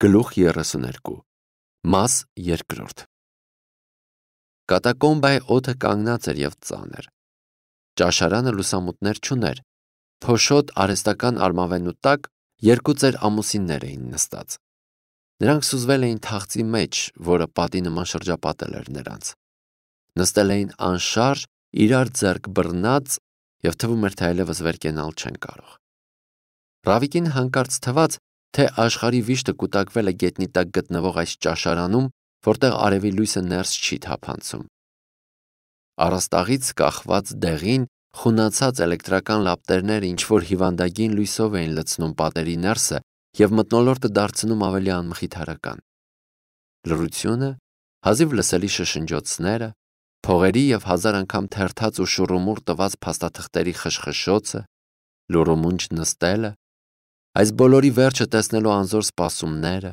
Գլուխ 32 Մաս 2 Կատակոմբայի օդը կանգնած էր և ծանր։ Ճաշարանը լուսամուտներ չուներ, փոշոտ արհեստական արմավենու տակ երկու ծեր ամուսիններ էին նստած։ Նրանք սուզվել էին թախծի մեջ, որը պատի նման շրջապատել էր նրանց։ Նստել էին անշարժ, իրար ձեռք բռնած, և թվում էր, թե այլևս վեր կենալ չեն կարող։ Ռավիկին հանկարծ թվաց, թե աշխարհի վիշտը կուտակվել է գետնի տակ գտնվող այս ճաշարանում, որտեղ արևի լույսը ներս չի թափանցում։ Առաստաղից կախված դեղին, խունացած էլեկտրական լապտերները ինչ-որ հիվանդագին լույսով էին լցնում պատերի ներսը և մթնոլորտը դարձնում ավելի անմխիթարական։ Լռությունը, հազիվ լսելի շշնջոցները, փողերի և հազար անգամ թերթած ու շուռումուռ տված փաստաթղթերի խշխշոցը, լուռումունջ նստելը, այս բոլորի վերջը տեսնելու անզոր սպասումները,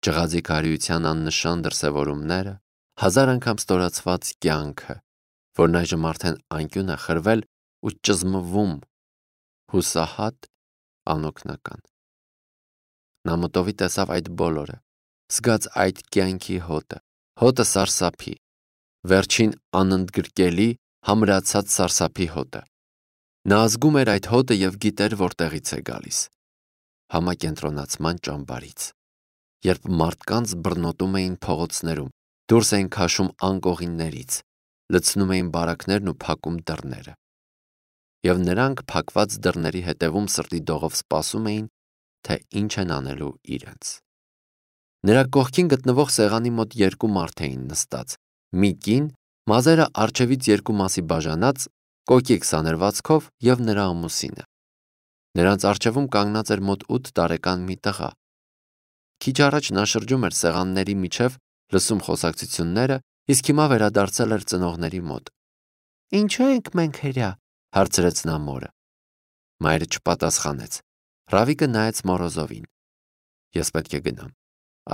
ջղաձի քարոյության աննշան դրսևորումները, հազար անգամ ստորացված կյանքը, որն այժմ արդեն անկյուն է խրվել ու ճզմվում, հուսահատ, անօգնական։ Նա մտովի տեսավ այդ բոլորը, զգաց այդ կյանքի հոտը սարսափի, վերջին անընդգրկելի, համրացած սարսափի հոտը։ Նա զգում էր այդ հոտը և գիտեր, որտեղից է գալիս։ Համակենտրոնացման ճամբարից, երբ մարդկանց բռնոտում էին փողոցներում, դուրս էին քաշում անկողիններից, լցնում էին բարակներն ու փակում դռները։ Եվ նրանք փակված դռների հետևում սրտի դողով սպասում էին, թե ինչ են անելու իրենց։ Նրա կողքին գտնվող սեղանի մոտ երկու մարդ էին նստած, մի կին, մազերը առջևից երկու մասի բաժանած, կոկիկ սանրվածքով և նրա ամուսինը։ Նրանց առջևում կանգնած էր մոտ 8 տարեկան մի տղա։ Քիչ առաջ նա շրջում էր սեղանների միջև, լսում խոսակցությունները, իսկ հիմա վերադարձել էր ծնողների մոտ։ «Ինչու ենք մենք հրյա», հարցրեց նա մորը։ Մայրը չպատասխանեց։ Ռավիկը նայեց Մորոզովին։ «Ես պետք է գնամ»,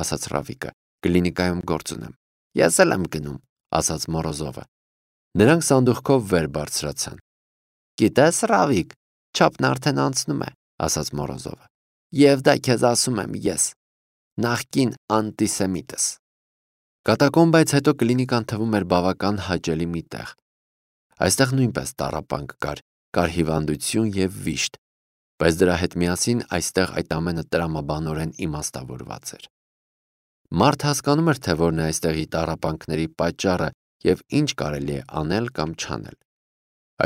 ասաց Ռավիկը, «կլինիկայում գործ ունեմ»։ «Ես էլ եմ գնում», ասաց Մորոզովը։ Նրանք սանդուղքով վեր բարձրացան։ «Գիտես, Ռավիկ, չափն արդեն անցնում է», ասաց Մորոզովը։ «Եվ դա քեզ ասում եմ ես, նախկին անտիսեմիտս»։ Կատակոմբայից հետո կլինիկան թվում էր բավական հաճելի մի տեղ։ Այստեղ նույնպես տառապանք կար հիվանդություն և վիշտ, բայց դրա հետ միասին այստեղ այդ ամենը տրամաբանորեն իմաստավորված էր։ Մարդ հասկանում էր, թե որն է այստեղի տառապանքների պատճառը և ինչ կարելի է անել կամ չանել։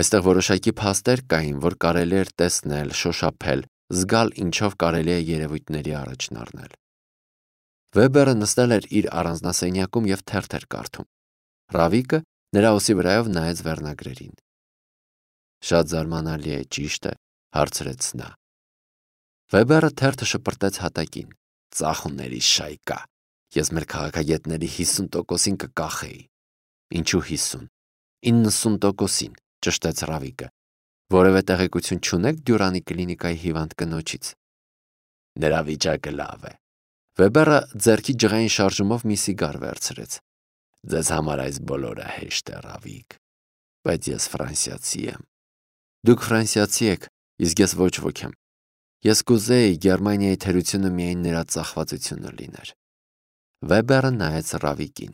Այստեղ որոշակի փաստեր կային, որ կարելի էր տեսնել, շոշափել, զգալ, ինչով կարելի է երևույթների առաջն առնել։ Վեբերը նստել էր իր առանձնասենյակում և թերթ էր կարդում։ Ռավիկը նրա ուսի վրայով նայեց վերնագրերին։ «Շատ զարմանալի է, ճիշտ է», հարցրեց նա։ Վեբերը թերթը շպրտեց հատակին։ «Ծախուների շայկա։ Ես մեր քաղաքագետների 50%-ին կկախեի»։ «Ինչու 50»։ 90%-ին, ճշտեց Ռավիկը։ Որևէ տեղեկություն չունեք Դյուրանի կլինիկայի հիվանդ կնոջից։ Նրա վիճակը լավ է։ Վեբերը ձեռքի ջղային շարժումով մի սիգար վերցրեց։ Ձեզ համար այս բոլորը հեշտ է, Ռավիկ, բայց ես ֆրանսիացի եմ։ Դուք ֆրանսիացի եք, իսկ ես ոչ ոք եմ։ Ես կուզեի Գերմանիայի թերությունը միայն նրա ծախվածությունը լիներ։ Վեբերը նայեց Ռավիկին։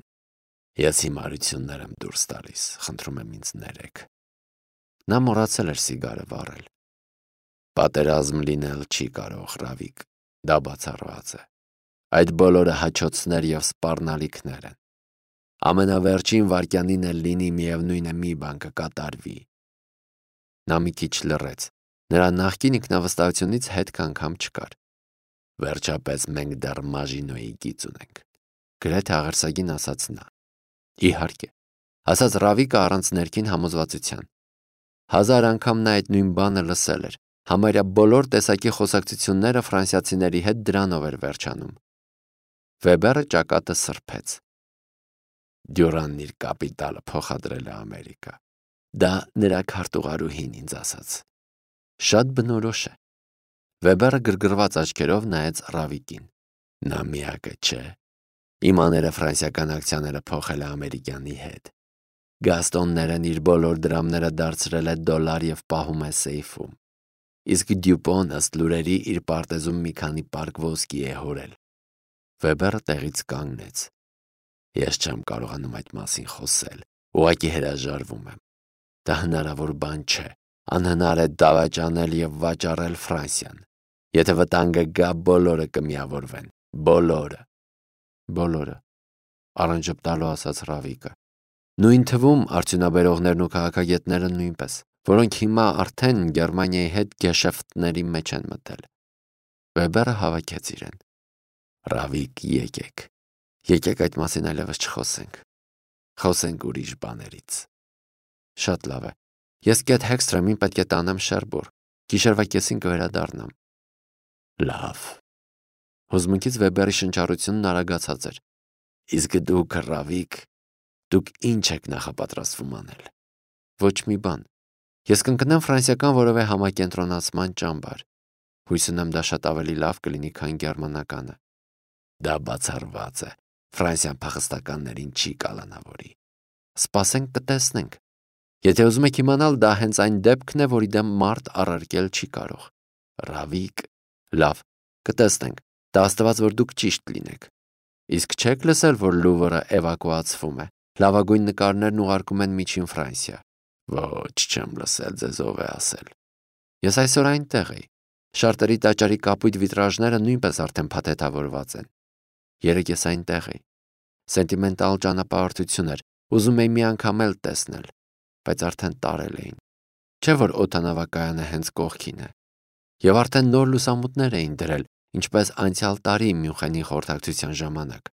Ես հիմարություններ եմ դուրս տալիս, խնդրում եմ ինձ ներեք։ Նա մոռացել էր սիգարը վառել։ Պատերազմ լինել չի կարող, Ռավիկ, դա բացառված է։ Այդ բոլորը հաչոցներ և սպառնալիքներ են։ Ամենավերջին վայրկյանին էլ լինի միևնույն է մի բան կկատարվի։ Նա մի քիչ լռեց։ Նրա նախկին ինքնավստահությունից հետք անգամ չկար։ Վերջապես մենք դեռ Մաժինոյի գիծ ունենք, գրեթե աղերսագին ասաց նա։ Իհարկե, ասաց Ռավիկը առանց ներքին համոզվածության։ Հազար անգամ նա այդ նույն բանը լսել էր։ Համարյա բոլոր տեսակի խոսակցությունները ֆրանսիացիների հետ դրանով էր վերջանում։ Վեբերը ճակատը սրբեց։ Դյուրանն իր կապիտալը փոխադրել է Ամերիկա։ Դա նրա քարտուղարուհին ինձ ասաց։ Շատ բնորոշ է։ Վեբերը գրգռված աչքերով նայեց Ռավիկին։ Նա միակը չէ։ Իմ աները ֆրանսիական ակցիաները փոխել է ամերիկյանի հետ։ Գաստոններն իր բոլոր դրամները դարձրել է դոլար և պահում է սեյֆում։ Իսկ Դյուպոն ըստ լուրերի իր պարտեզում մի քանի պարկ ոսկի է հորել։ Վեբերը տեղից կանգնեց։ Ես չեմ կարողանում այդ մասին խոսել, ուղղակի հրաժարվում եմ։ Դա հնարավոր բան չէ, անհնար է դավաճանել և վաճառել Ֆրանսիան։ Եթե վտանգը գա, բոլորը կմիավորվեն, բոլորը։ Բոլորը, առանջպտալու ասաց Ռավիկը։ Նույն թվում արդյունաբերողներն ու քաղաքագետները նույնպես, որոնք հիմա արդեն Գերմանիայի հետ գեշեֆտների մեջ են մտել։ Վեբերը հավաքեց իրեն։ Ռավիկ, եկեք այդ մասին այլևս չխոսենք։ Խոսենք ուրիշ բաներից։ Շատ լավ է։ Ես Կեթ Հեքսթրեմին պետք է տանեմ Շերբուր։ Գիշերվա կեսին կվերադառնամ։ Լավ։ Հուզմունքից Վեբերի շնչառությունն արագացած էր։ Իսկ դուք, Ռավիկ, դուք ինչ եք նախապատրաստվում անել։ Ոչ մի բան։ Ես կընկնեմ ֆրանսիական որևէ համակենտրոնացման ճամբար։ Հույս ունեմ դա շատ ավելի լավ կլինի, քան գերմանականը։ Դա բացառված է։ Ֆրանսիան փախստականներին չի կալանավորի։ Սպասենք կտեսնենք։ Եթե ուզում եք իմանալ, դա հենց այն դեպքն է, որի դեմ մարդ առարկել չի կարող։ Ռավիկ, լավ, կտեսնենք։ Դա աստված, որ դուք ճիշտ լինեք։ Իսկ չեք լսել, որ Լուվրը էվակուացվում է։ Լավագույն նկարներն ուղարկում են Միջին Ֆրանսիա։ Ոչ, չեմ լսել, ձեզ ով է ասել։ Ես այսօր այնտեղ էի։ Շարտերի տաճարի կապույտ վիտրաժները նույնպես արդեն փաթեթավորված են։ Երեկ ես այնտեղ էի։ Սենտիմենտալ ճանապարհորդություն էր, ուզում էի մի անգամ էլ տեսնել, բայց արդեն տարել էին։ Չէ՞ որ օդանավակայանը հենց կողքին է։ Եվ արդեն նոր լուսամուտներ էին դրել, ինչպես անցյալ տարի Մյունխենի խորհրդակցության ժամանակ։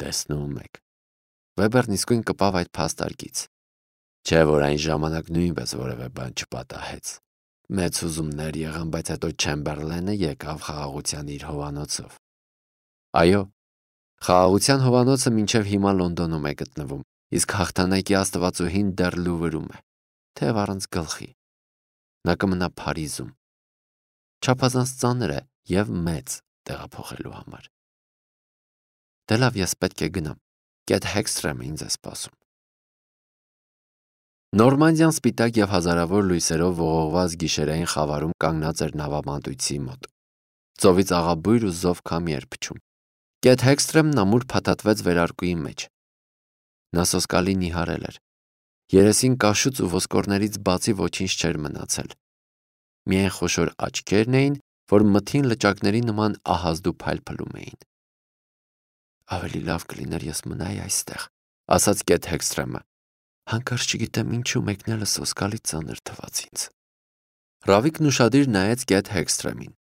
Տեսնում եք։ Վեբերն իսկույն կպավ այդ փաստարկից։ Չէ՞ որ այն ժամանակ նույնպես որևէ բան չպատահեց։ Մեծ հուզումներ եղան, բայց հետո Չեմբերլենը եկավ խաղաղության իր հովանոցով։ Այո, խաղաղության հովանոցը մինչև հիմա Լոնդոնում է գտնվում, իսկ հաղթանակի աստվածուհին դեռ Լուվրում է, թեև առանց գլխի։ Նա կմնա Փարիզում։ Չափազանց ծանր է և մեծ տեղափոխելու համար։ Դե լավ, ես պետք է գնամ։ Կեթ Հեքսթրեմը ինձ է սպասում։ Նորմանդիան սպիտակ և հազարավոր լույսերով ողողված գիշերային խավարում կանգնած էր նավամատույցի մոտ։ Ծովից աղաբույր ու զով քամի էր փչում։ Կեթ Հեքսթրեմն ամուր փաթաթվեց վերարկուի մեջ։ Նա սոսկալի նիհարել էր։ Երեսին կաշուց ու ոսկորներից բացի ոչինչ չէր մնացել։ Միայն խոշոր աչքերն էին, որ մթին լճակների նման ահազդու փայլփլում էին։ Ավելի լավ կլիներ ես մնայի այստեղ, ասաց Կեթ Հեքսթրեմը։ Հանկարծ չգիտեմ ինչու մեկնելը սոսկալի ծանր թվաց ինձ։ Ռավիկն ուշադիր նայեց Կեթ Հեքսթրեմին։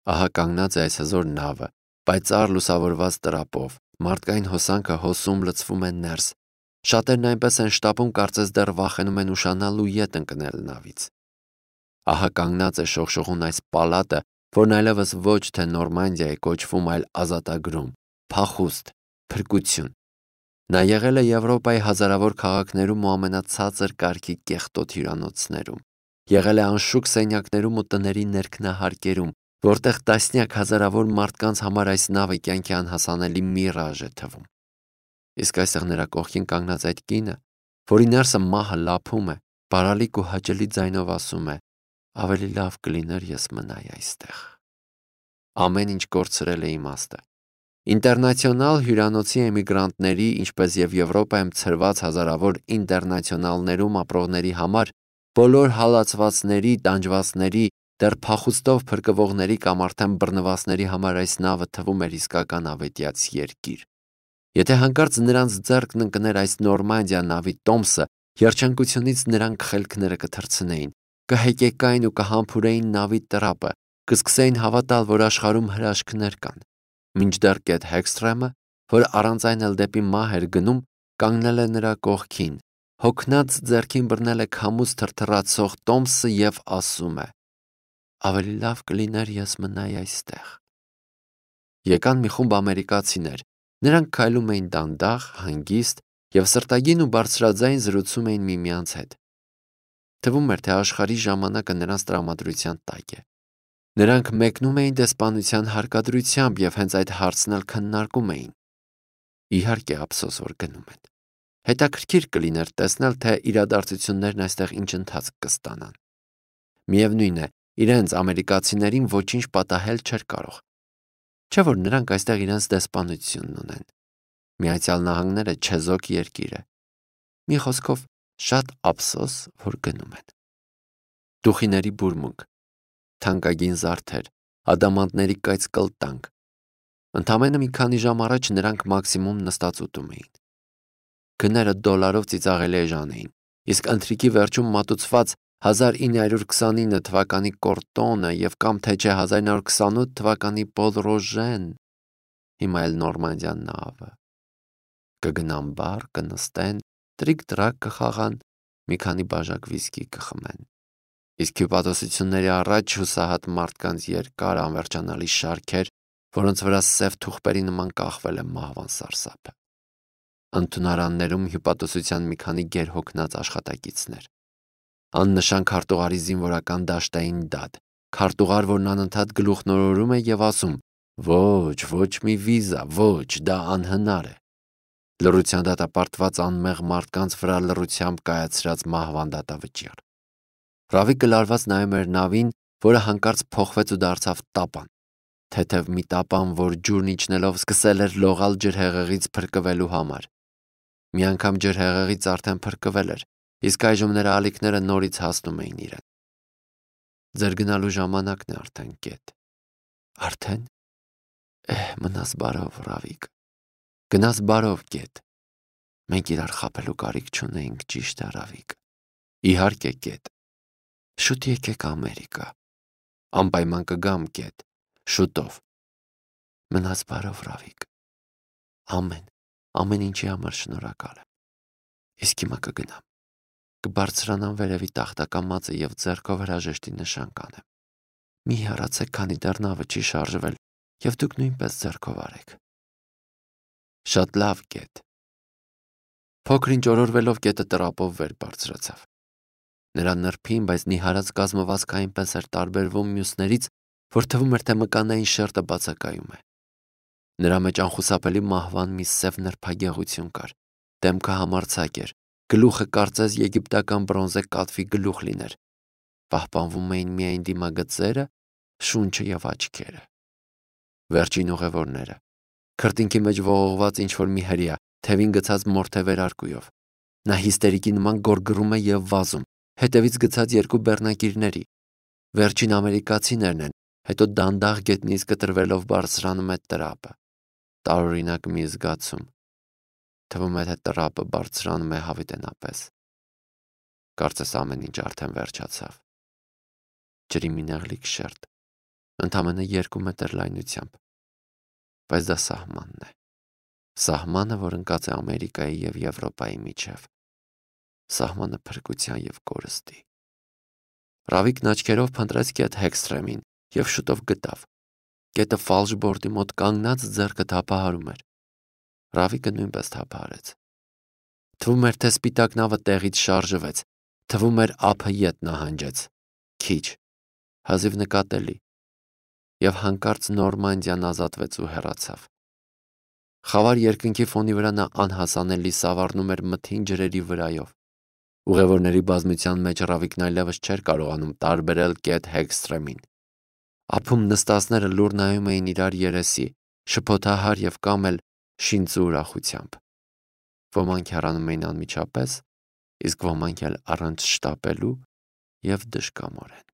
Ահա կանգնած է այս հզոր նավը, պայծառ լուսավորված տրապով, մարդկային հոսանքը հոսում լցվում է ներս։ Շատերն այնպես են շտապում, կարծես դեռ վախենում են ուշանալ ու ետ ընկնել նավից։ Ահա կանգնած է շողշողուն այս պալատը, որն այլևս ոչ թե Նորմանդիա է կոչվում, այլ ազատագրում, փախուստ, փրկություն։ Նա եղել է Եվրոպայի հազարավոր քաղաքներում ու ամենացածր կարգի կեղտոտ հյուրանոցներում։ Եղել է անշուք սենյակներում ու տների ներքնահարկերում, որտեղ տասնյակ հազարավոր մարդկանց համար այս նավը կյանքի անհասանելի միրաժ է թվում։ Իսկ այստեղ նրա կողքին կանգնած այդ կինը, որի ներսը մահը լափում է, բարալիկ ու հաճելի ձայնով ասում է. ավելի լավ կլիներ ես մնայի այստեղ։ Ամեն ինչ կորցրել է իմաստը։ Ինտերնացիոնալ հյուրանոցի էմիգրանտների, ինչպես եւ Եվրոպայում ցրված հազարավոր ինտերնացիոնալներում ապրողների համար, բոլոր հալածվածների, տանջվածների, դեռ փախուստով փրկվողների կամ արդեն բռնվածների համար այս նավը թվում էր իսկական ավետյաց երկիր։ Եթե հանկարծ նրանց ձեռքն ընկներ այս Նորմանդիա նավի տոմսը, երջանկությունից նրանք խելքները կթռցնեին, կհեկեկային ու կհամբուրեին նավի տրապը, կսկսեին հավատալ, որ աշխարհում հրաշքներ կան։ Մինչդեռ Կեթ Հեքսթրեմը, որ առանց այն էլ դեպի մահ էր գնում, կանգնել է նրա կողքին, հոգնած ձեռքին բռնել է քամուց թրթռացող տոմսը և ասում է. ավելի լավ կլիներ ես մնայի այստեղ։ Եկան մի խումբ ամերիկացիներ։ Նրանք քայլում էին դանդաղ, հանգիստ և սրտագին ու բարձրաձայն զրուցում էին միմյանց հետ։ Թվում էր, թե աշխարհի ժամանակը նրանց տրամադրության տակ է։ Նրանք մեկնում էին դեսպանության հարկադրությամբ և հենց այդ հարցն էլ քննարկում էին։ Իհարկե, ափսոս, որ գնում են։ Հետաքրքիր կլիներ տեսնել, թե իրադարձություններն այստեղ ինչ ընթացք կստանան։ Միևնույն է, իրենց ամերիկացիներին ոչինչ պատահել չէր կարող։ Չէ՞ որ նրանք այստեղ իրենց դեսպանությունն ունեն։ Միացյալ Նահանգները չեզոք երկիր է։ Մի խոսքով շատ ափսոս, որ գնում են։ Դուխիների բուրմունք, թանկագին զարդեր, ադամանդների կայծ կլտանք։ Ընդամենը մի քանի ժամ առաջ նրանք մաքսիմում նստած ուտում էին։ Գները դոլարով ծիծաղելի էժան էին, իսկ ընթրիքի վերջում մատուցված 1929 թվականի կորտոնը և կամ թե չէ 1928 թվականի Պոլ Ռոժեն, հիմա էլ Նորմանդյան նավը։ Կգնան բար, կնստեն, տրիկ-տրակ կխաղան, մի քանի բաժակ վիսկի կխմեն։ Իսկ հյուպատոսությունների առաջ հուսահատ մարդկանց երկար անվերջանալի շարքեր, որոնց վրա սև թուղթերի նման կախվել է մահվան սարսափը։ Ընդունարաններում հյուպատոսության մի քանի գերհոգնած աշխատակիցներ։ Աննշան քարտուղարի զինվորական դաշտային դատ, քարտուղար, որն անընդհատ գլուխնորորում է և ասում. «Ոչ, ոչ մի վիզա, ոչ, դա անհնար է»։ Լռության դատապարտված անմեղ մարդկանց վրա լռությամբ կայացրած մահվան դատավճիռ։ Ռավիկը լարված նայում էր նավին, որը հանկարծ փոխվեց ու դարձավ տապան։ Թեթև մի տապան, որ ջուրն իջնելով սկսել էր լողալ ջրհեղեղից փրկվելու համար։ Մի անգամ ջրհեղեղից արդեն փրկվել էր, իսկ այժմ նրա ալիքները նորից հասնում էին իրեն։ Ձեր գնալու ժամանակն է արդեն, գետ։ Արդեն։ Մնաս բարով, Ռավիկ։ Գնաս բարով, գետ։ Մենք իրար խաբելու կարիք չունեինք, ճիշտ է, Ռավիկ։ Իհարկե, գետ։ Շուտ եկեք Ամերիկա։ Անպայման կգամ, գետ։ Շուտով։ Մնաս բարով, Ռավիկ։ Ամեն ինչի համար շնորհակալ եմ։ Իսկ հիմա կգնամ։ Կբարձրանամ վերևի տախտակամածը և ձեռքով հրաժեշտի նշան կանեմ։ Մի հեռացեք, քանի դեռ նավը չի շարժվել, և դուք նույնպես ձեռքով արեք։ Շատ լավ, գետ։ Փոքր-ինչ օրորվելով գետը տրապով վեր բարձրացավ։ Նրա նրբին, բայց նիհարած կազմվածքը այնպես էր տարբերվում մյուսներից, որ թվում էր, թե մկանային շերտը բացակայում է։ Նրա մեջ անխուսափելի մահվան մի սև նրբագեղություն կար, դեմքը համարձակ էր, գլուխը կարծես եգիպտական բրոնզե կատվի գլուխ լիներ։ Պահպանվում էին միայն դիմագծերը, շունչը և աչքերը։ Վերջին ուղևորները։ Քրտինքի մեջ ողողված ինչ-որ մի հրեա, թևին գցած մորթե վերարկուով։ Նա հիստերիկի նման գոռգռում է և վազում, հետևից գցած երկու բեռնակիրների։ Վերջին ամերիկացիներն են, հետո դանդաղ գետնից կտրվելով բարձրանում է տրապը։ Տարօրինակ մի զգացում։ Թվում է, թե տրապը բարձրանում է հավիտենապես։ Կարծես ամեն ինչ արդեն վերջացավ։ Ջրի մի նեղլիկ շերտ, ընդամենը 2 մետր լայնությամբ։ Բայց դա սահմանն է։ Սահմանը, որ ընկած է Ամերիկայի և Եվրոպայի միջև։ Սահմանը փրկության և կորստի։ Ռավիկն աչքերով փնտրեց գետ Հեքսթրեմին և շուտով գտավ։ Գետը ֆալշբորդի մոտ կանգնած ձեռքը թափահարում էր։ Ռավիկը նույնպես թափահարեց։ Թվում էր, թե սպիտակ նավը տեղից շարժվեց։ Թվում էր ափը ետ նահանջեց։ Քիչ, հազիվ նկատելի։ Եվ հանկարծ Նորմանդիան ազատվեց ու հեռացավ։ Խավար երկնքի ֆոնի վրա նա անհասանելի սավառնում էր մթին ջրերի վրայով։ Ուղևորների բազմության մեջ Ռավիկն այլևս չէր կարողանում տարբերել կետ Հեքսթրեմին։ Ափում նստածները լուռ նայում էին իրար երեսի, շփոթահար և կամ էլ շինծու ուրախությամբ։ Ոմանք հեռանում էին անմիջապես, իսկ ոմանք էլ առանց շտապելու և դժկամորեն։